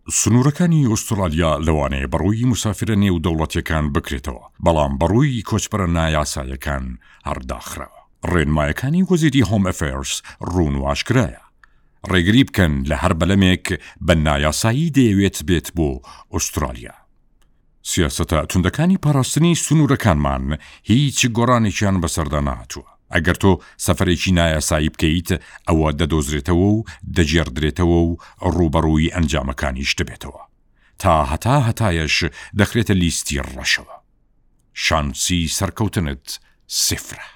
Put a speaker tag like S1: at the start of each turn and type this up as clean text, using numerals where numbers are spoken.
S1: سنوورەکانی ئوسترالیا لەوانەیە بەڕووی موسافیرە نێودەوڵەتییەکان بکرێتەوە، بەڵام بەڕووی کۆچبەرە نایاسایەکان هەر داخراوە. ڕێنمایەکانی وەزیری هۆم ئەفێرس ڕوون و ئاشکرایە. ڕێگری بکەن لە هەر بەلەمێک بە نایاسایی دەیەوێت بێت بۆ ئوسترالیا. سیاسەتە توندەکانی پاراستنی سنوورەکانمان هیچ گۆڕانێکیان بەسەردا نەهاتووە. ئەگەر تۆ سەفەرێکی نایاسایی بکەیت، ئەوە دەدۆزرێتەوە و دەگێڕدرێتەوە و ڕووبەڕووی ئەنجامەکانیش دەبێتەوە. تا هەتا هەتایەش دەخرێتە لیستی ڕەشەوە. شانسی سەرکەوتنت سفرە.